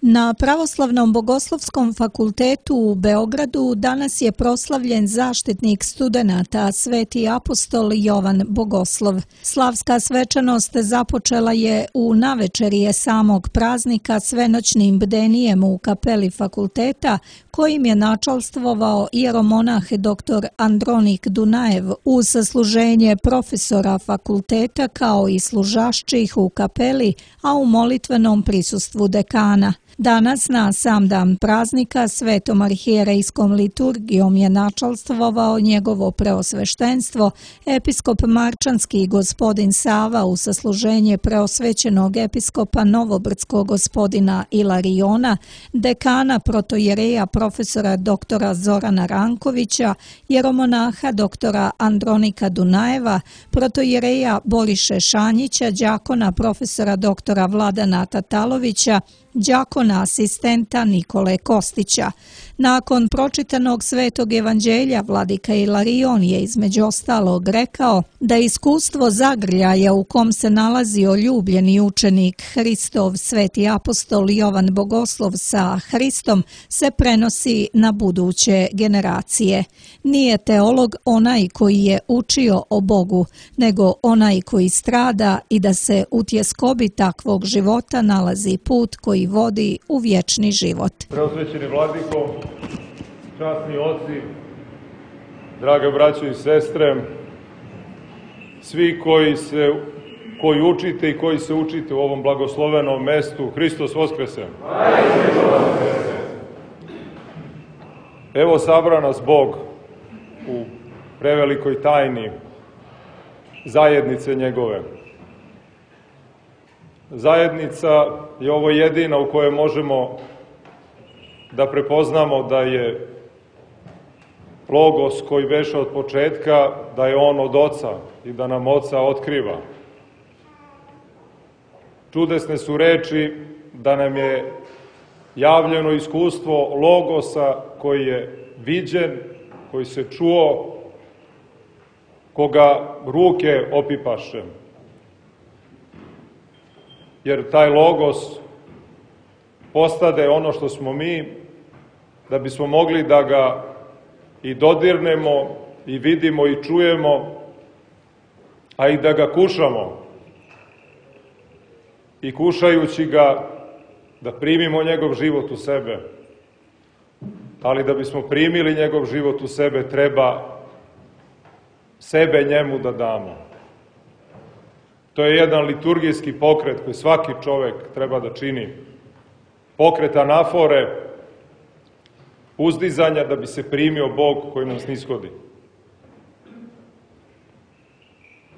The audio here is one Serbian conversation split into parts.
Na Pravoslavnom bogoslovskom fakultetu u Beogradu danas je proslavljen zaštitnik studenata, sveti apostol Jovan Bogoslov. Slavska svečanost započela je u navečerije samog praznika svenoćnim bdenijem u kapeli fakulteta, kojim je načalstvovao ieromonah dr. Andronik Dunajev uz sasluženje profesora fakulteta kao i služašćih u kapeli, a u molitvenom prisustvu dekana. Danas, na sam dan praznika, svetom arhijerejskom liturgijom je načalstvovao njegovo preosveštenstvo, episkop Marčanski gospodin Sava u sasluženje preosvećenog episkopa Novobrdskog gospodina Ilariona, dekana protojereja profesora doktora Zorana Rankovića, jeromonaha doktora Andronika Dunajeva, protojereja Boriše Šanjića, đakona profesora doktora Vladana Tatalovića, đakona asistenta Nikole Kostića. Nakon pročitanog svetog evanđelja, vladika Ilarion je između ostalog rekao da iskustvo zagrljaja u kom se nalazio ljubljeni učenik Hristov, sveti apostol Jovan Bogoslov sa Hristom, se prenosi na buduće generacije. Nije teolog onaj koji je učio o Bogu, nego onaj koji strada i da se u tjeskobi takvog života nalazi put koji vodi u vječni život. Preosvećeni vladiko, časni oci, drage braćo i sestre, svi koji učite i koji se učite u ovom blagoslovenom mestu, Hristos Voskrese. Evo sabra nas Bog u prevelikoj tajni zajednice njegove. Zajednica je ovo jedina u kojoj možemo da prepoznamo da je Logos koji beše od početka, da je on od Oca i da nam Oca otkriva. Čudesne su reči da nam je javljeno iskustvo Logosa koji je viđen, koji se čuo, koga ruke opipaše. Jer taj Logos postade ono što smo mi, da bismo mogli da ga i dodirnemo, i vidimo, i čujemo, a i da ga kušamo. I kušajući ga, da primimo njegov život u sebe. Ali da bismo primili njegov život u sebe, treba sebe njemu da damo. To je jedan liturgijski pokret koji svaki čovek treba da čini. Pokret anafore, uzdizanja da bi se primio Bog koji nam snishodi.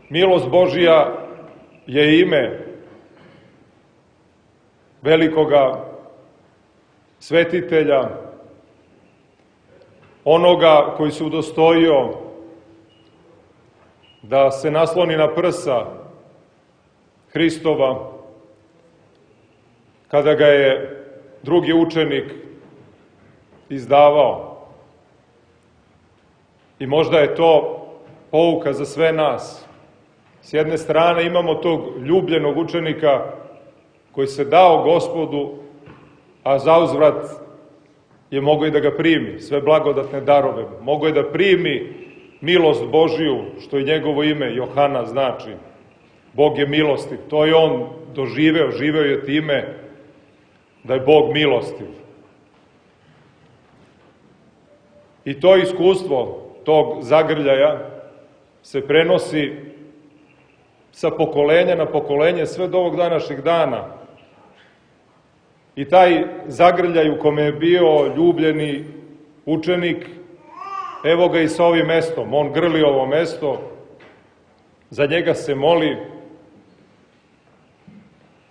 Milost Božija je ime velikoga svetitelja, onoga koji se udostojio da se nasloni na prsa Hristova, kada ga je drugi učenik izdavao. I možda je to pouka za sve nas. S jedne strane imamo tog ljubljenog učenika koji se dao Gospodu, a zauzvrat je mogao i da ga primi, sve blagodatne darove. Mogao je da primi milost Božiju, što i njegovo ime Johana znači. Bog je milostiv. To je on doživeo, živeo je time da je Bog milostiv. I to iskustvo tog zagrljaja se prenosi sa pokolenja na pokolenje sve do ovog današnjeg dana. I taj zagrljaj u kome je bio ljubljeni učenik, evo ga i sa ovim mestom. On grli ovo mesto, za njega se moli,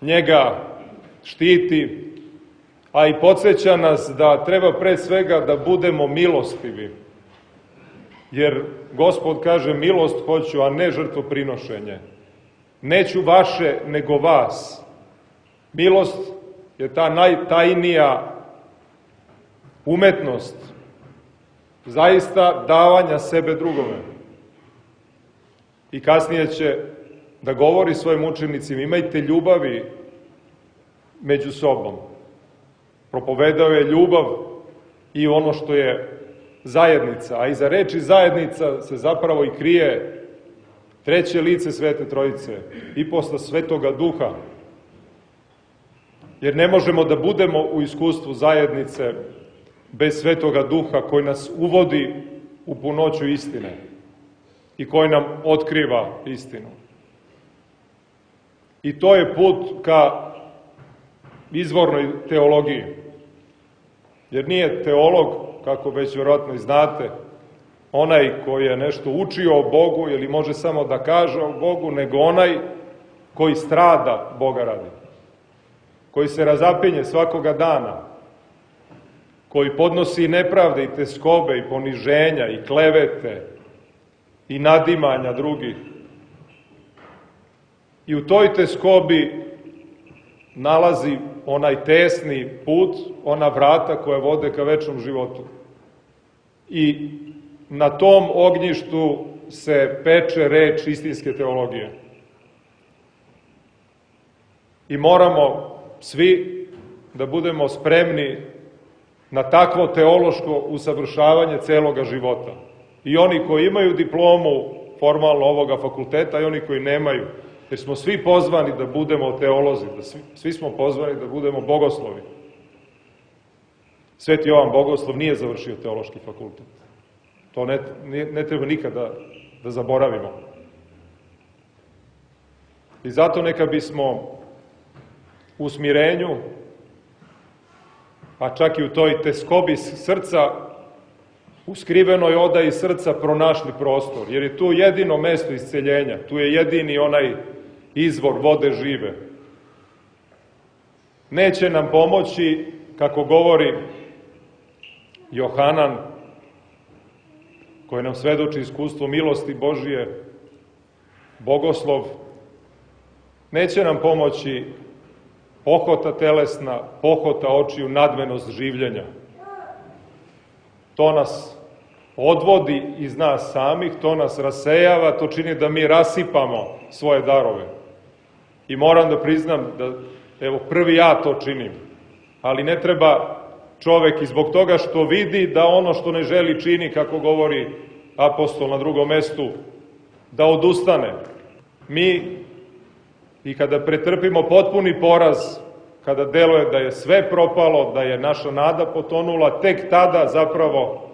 njega štiti, a i podsjeća nas da treba pre svega da budemo milostivi. Jer Gospod kaže milost hoću, a ne žrtvoprinošenje. Neću vaše, nego vas. Milost je ta najtajnija umetnost zaista davanja sebe drugome. I kasnije će da govori svojim učenicima, imajte ljubavi među sobom. Propovedao je ljubav i ono što je zajednica, a iza reči zajednica se zapravo i krije treće lice Svete Trojice, iposta Svetoga Duha. Jer ne možemo da budemo u iskustvu zajednice bez Svetoga Duha koji nas uvodi u punoću istine i koji nam otkriva istinu. I to je put ka izvornoj teologiji. Jer nije teolog, kako već vjerojatno i znate, onaj koji je nešto učio o Bogu ili može samo da kaže o Bogu, nego onaj koji strada Boga radi, koji se razapinje svakoga dana, koji podnosi nepravde i teskobe i poniženja i klevete i nadimanja drugih. I u toj teskobi nalazi onaj tesni put, ona vrata koja vode ka večnom životu. I na tom ognjištu se peče reč istinske teologije. I moramo svi da budemo spremni na takvo teološko usavršavanje celoga života. I oni koji imaju diplomu formalno ovoga fakulteta i oni koji nemaju, jer smo svi pozvani da budemo teolozi, svi smo pozvani da budemo bogoslovi. Sveti Jovan Bogoslov nije završio teološki fakultet. To ne treba nikada da zaboravimo. I zato neka bismo u smirenju, a čak i u toj teskobi srca, u skrivenoj odaji srca pronašli prostor, jer je tu jedino mesto isceljenja, tu je jedini onaj izvor vode žive. Neće nam pomoći, kako govori Johanan, koji nam svedoči iskustvo milosti Božije, Bogoslov, neće nam pomoći pohota telesna, pohota očiju, nadmenost življenja. To nas odvodi iz nas samih, to nas rasejava, to čini da mi rasipamo svoje darove. I moram da priznam da, evo, prvi ja to činim, ali ne treba čovek i zbog toga što vidi da ono što ne želi čini, kako govori apostol na drugom mestu, da odustane. Mi, i kada pretrpimo potpuni poraz, kada deluje da je sve propalo, da je naša nada potonula, tek tada zapravo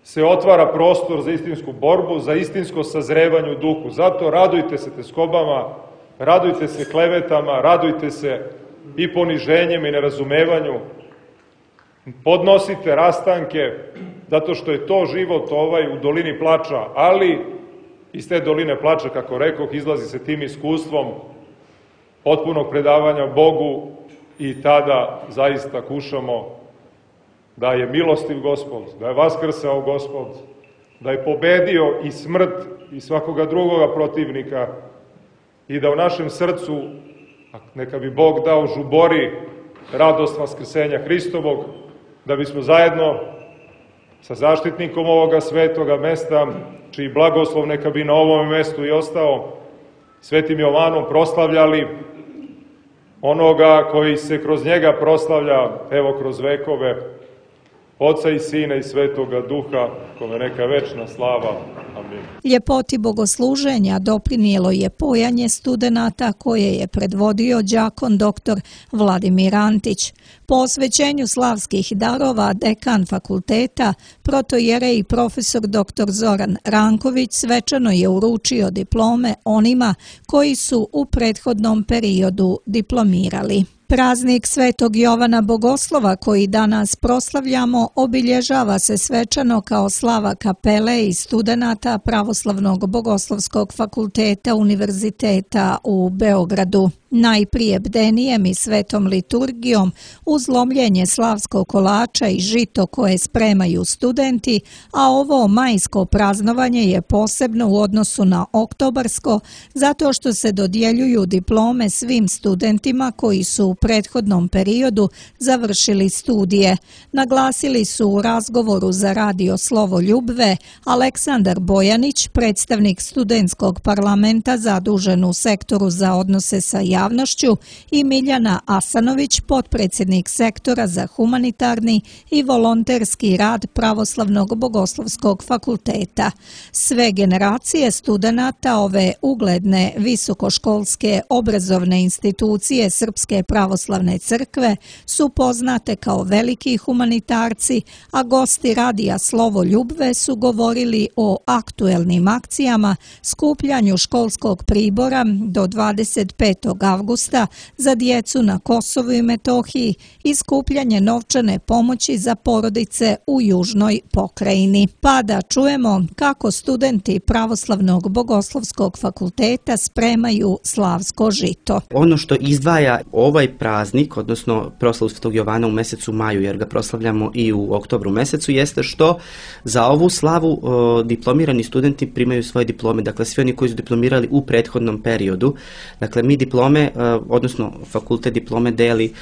se otvara prostor za istinsku borbu, za istinsko sazrevanje u duhu. Zato radujte se teskobama, radujte se klevetama, radujte se i poniženjem i nerazumevanju, podnosite rastanke, zato što je to život u dolini plača, ali iz te doline plača, kako rekoh, izlazi se tim iskustvom potpunog predavanja Bogu i tada zaista kušamo da je milostiv Gospod, da je vaskrsao Gospod, da je pobedio i smrt i svakoga drugoga protivnika i da u našem srcu, neka bi Bog dao, žubori radost vaskrsenja Hristovog, da bismo zajedno sa zaštitnikom ovoga svetoga mesta, čiji blagoslov neka bi na ovom mestu i ostao, Svetim Jovanom, proslavljali onoga koji se kroz njega proslavlja, evo, kroz vekove, Oca i Sina i Svetoga Duha, kome neka večna slava. Amin. Ljepoti bogosluženja doprinijelo je pojanje studenata koje je predvodio đakon dr. Vladimir Antić. Po osvećenju slavskih darova dekan fakulteta, protojerej profesor dr. Zoran Ranković svečano je uručio diplome onima koji su u prethodnom periodu diplomirali. Praznik Svetog Jovana Bogoslova koji danas proslavljamo obilježava se svečano kao slava kapele i studenata Pravoslavnog bogoslovskog fakulteta Univerziteta u Beogradu. Najprije bdenijem i svetom liturgijom uz lomljenje slavskog kolača i žito koje spremaju studenti, a ovo majsko praznovanje je posebno u odnosu na oktobarsko zato što se dodjeljuju diplome svim studentima koji su u prethodnom periodu završili studije. Naglasili su u razgovoru za radio Slovo Ljubve Aleksandar Bojanić, predstavnik studentskog parlamenta zadužen u sektoru za odnose sa javnošću, i Miljana Asanović, potpredsjednik sektora za humanitarni i volonterski rad Pravoslavnog bogoslovskog fakulteta. Sve generacije studenata ove ugledne visokoškolske obrazovne institucije Srpske pravoslavne crkve su poznate kao veliki humanitarci, a gosti radija Slovo Ljubve su govorili o aktuelnim akcijama, skupljanju školskog pribora do 25. avgusta za djecu na Kosovu i Metohiji i skupljanje novčane pomoći za porodice u južnoj pokrajini. Pa da čujemo kako studenti Pravoslavnog bogoslovskog fakulteta spremaju slavsko žito. Ono što izdvaja ovaj praznik, odnosno proslavu Svetog Jovana u mjesecu maju, jer ga proslavljamo i u oktobru mjesecu, jeste što za ovu slavu diplomirani studenti primaju svoje diplome. Dakle, svi oni koji su diplomirali u prethodnom periodu. Dakle, mi diplome, odnosno fakultet diplome deli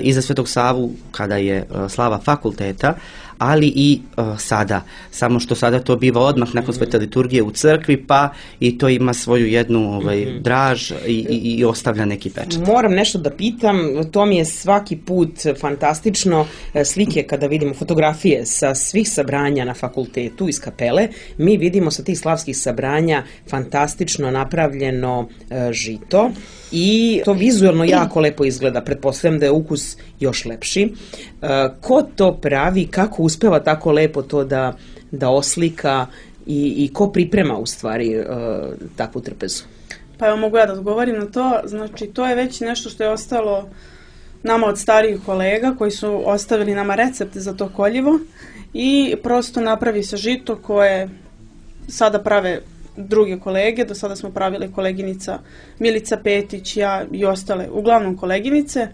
i za Svetog Savu kada je slava fakulteta, ali i sada. Samo što sada to biva odmah nakon svete liturgije u crkvi, pa i to ima svoju jednu draž i ostavlja neki pečat. Moram nešto da pitam, to mi je svaki put fantastično, slike kada vidimo fotografije sa svih sabranja na fakultetu iz kapele, mi vidimo sa tih slavskih sabranja fantastično napravljeno žito i to vizualno jako lepo izgleda, pretpostavljam da je ukus još lepši. Ko to pravi, kako uspeva tako lepo to da oslika i ko priprema u stvari takvu trpezu? Pa evo, mogu ja da odgovorim na to. Znači, to je već nešto što je ostalo nama od starijih kolega koji su ostavili nama recept za to koljivo i prosto napravi se žito koje sada prave druge kolege. Do sada smo pravili koleginica Milica Petić, ja i ostale, uglavnom koleginice.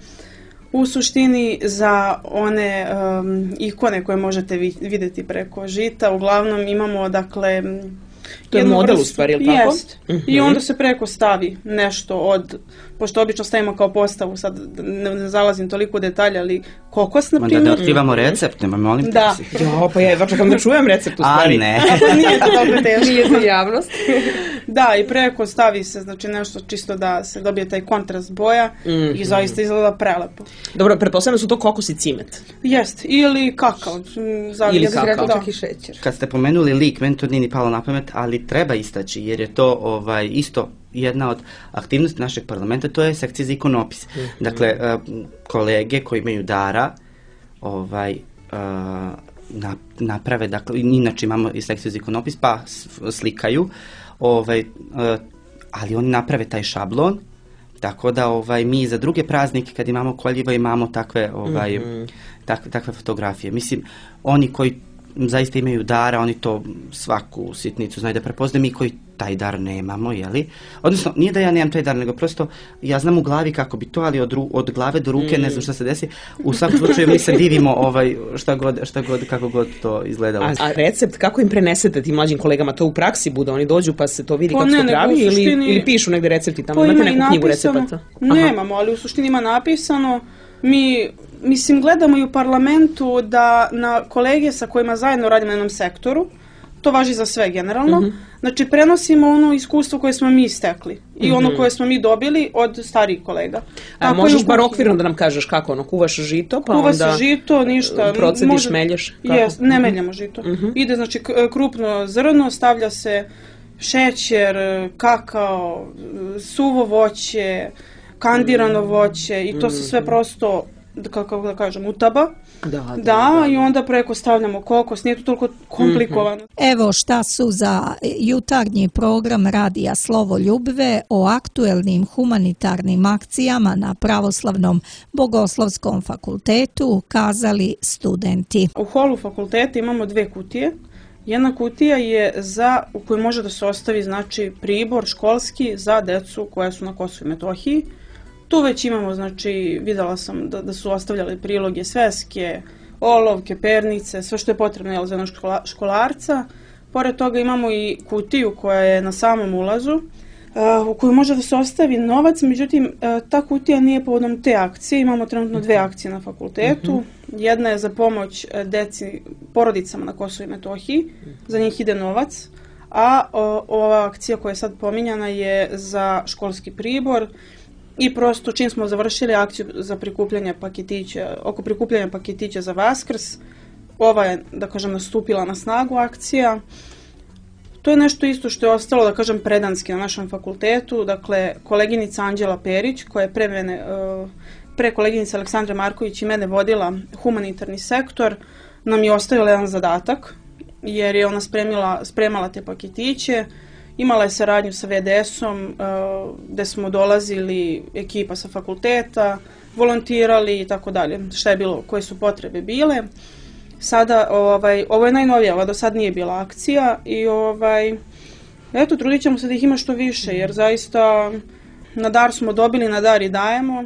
U suštini za one ikone koje možete vidjeti preko žita, uglavnom imamo, dakle, to je model u stvari, ili tako? Jest. I onda se preko stavi nešto pošto obično stavimo kao postavu, sad ne zalazim toliko u detalje, ali kokos, na primjer. Da otkrivamo recept, molim te. Da. Jo, pa ja čekam da čujem recept u stvari. A ne. Nije to dobro teško. Nije za javnost. Da, i preko stavi se, znači, nešto čisto da se dobije taj kontrast boja i zaista izgleda prelepo. Dobro, pretpostavljam da su to kokos i cimet. Jest, ili kakao. Ili kakao. Da. I šećer. Kad ste pomenuli lik, meni to nije ni palo na pamet, ali treba istaći, jer je to isto jedna od aktivnosti našeg parlamenta, to je sekcija za ikonopis. Dakle, kolege koji imaju dara naprave, dakle, inače imamo i sekciju za ikonopis, pa slikaju, ali oni naprave taj šablon, tako da mi za druge praznike kad imamo koljiva imamo takve fotografije. Mislim, oni koji zaista imaju dara, oni to svaku sitnicu znaju da prepoznaju, mi koji taj dar nemamo, jeli? Odnosno, nije da ja nemam taj dar, nego prosto ja znam u glavi kako bi to, ali od glave do ruke ne znam šta se desi. U svakom slučaju mi se divimo šta god, kako god to izgledalo. A recept, kako im prenesete tim mlađim kolegama, to u praksi bude? Oni dođu pa se to vidi kako se pravi ili pišu negde recepti tamo? Imate neku knjigu recepata? Nemamo, ali u suštini ima napisano. Mislim, gledamo i u parlamentu da na kolege sa kojima zajedno radimo na jednom sektoru, to važi za sve generalno, znači prenosimo ono iskustvo koje smo mi stekli i ono koje smo mi dobili od starijih kolega. A možeš bar okvirno da nam kažeš kako, kuvaš žito, pa kuva onda se žito, ništa. Procediš, melješ? Ne meljamo žito. Ide, znači, krupno zrno, stavlja se šećer, kakao, suvo voće, kandirano voće i to se sve prosto, kako da kažem, utaba. Da, i onda preko stavljamo kokos, nije to toliko komplikovano. Evo šta su za jutarnji program radija Slovo Ljubve o aktuelnim humanitarnim akcijama na Pravoslavnom bogoslovskom fakultetu kazali studenti. U holu fakulteta imamo 2 kutije. Jedna kutija je u kojoj može da se ostavi, znači, pribor školski za decu koja su na Kosovu i Metohiji. Tu već imamo, znači, videla sam da su ostavljali priloge, sveske, olovke, pernice, sve što je potrebno za jednog školarca. Pored toga imamo i kutiju koja je na samom ulazu, u kojoj može da se ostavi novac, međutim, ta kutija nije povodom te akcije. Imamo trenutno 2 akcije na fakultetu. Jedna je za pomoć porodicama na Kosovu i Metohiji, za njih ide novac, a ova akcija koja je sad pominjana je za školski pribor i prosto čim smo završili akciju za prikupljanje paketića, oko prikupljanja paketića za Vaskrs, ova je, da kažem, nastupila na snagu akcija. To je nešto isto što je ostalo, da kažem, predanski na našem fakultetu. Dakle, koleginica Anđela Perić, koja je pre koleginice Aleksandre Marković i mene vodila humanitarni sektor, nam je ostavila jedan zadatak, jer je ona spremala te paketiće. Imala je saradnju sa VDS-om, gde smo dolazili ekipa sa fakulteta, volontirali i tako dalje, šta je bilo, koje su potrebe bile. Sada, ovo je najnovija, ova do sad nije bila akcija i eto, trudit ćemo se da ih ima što više, jer zaista na dar smo dobili, na dar i dajemo.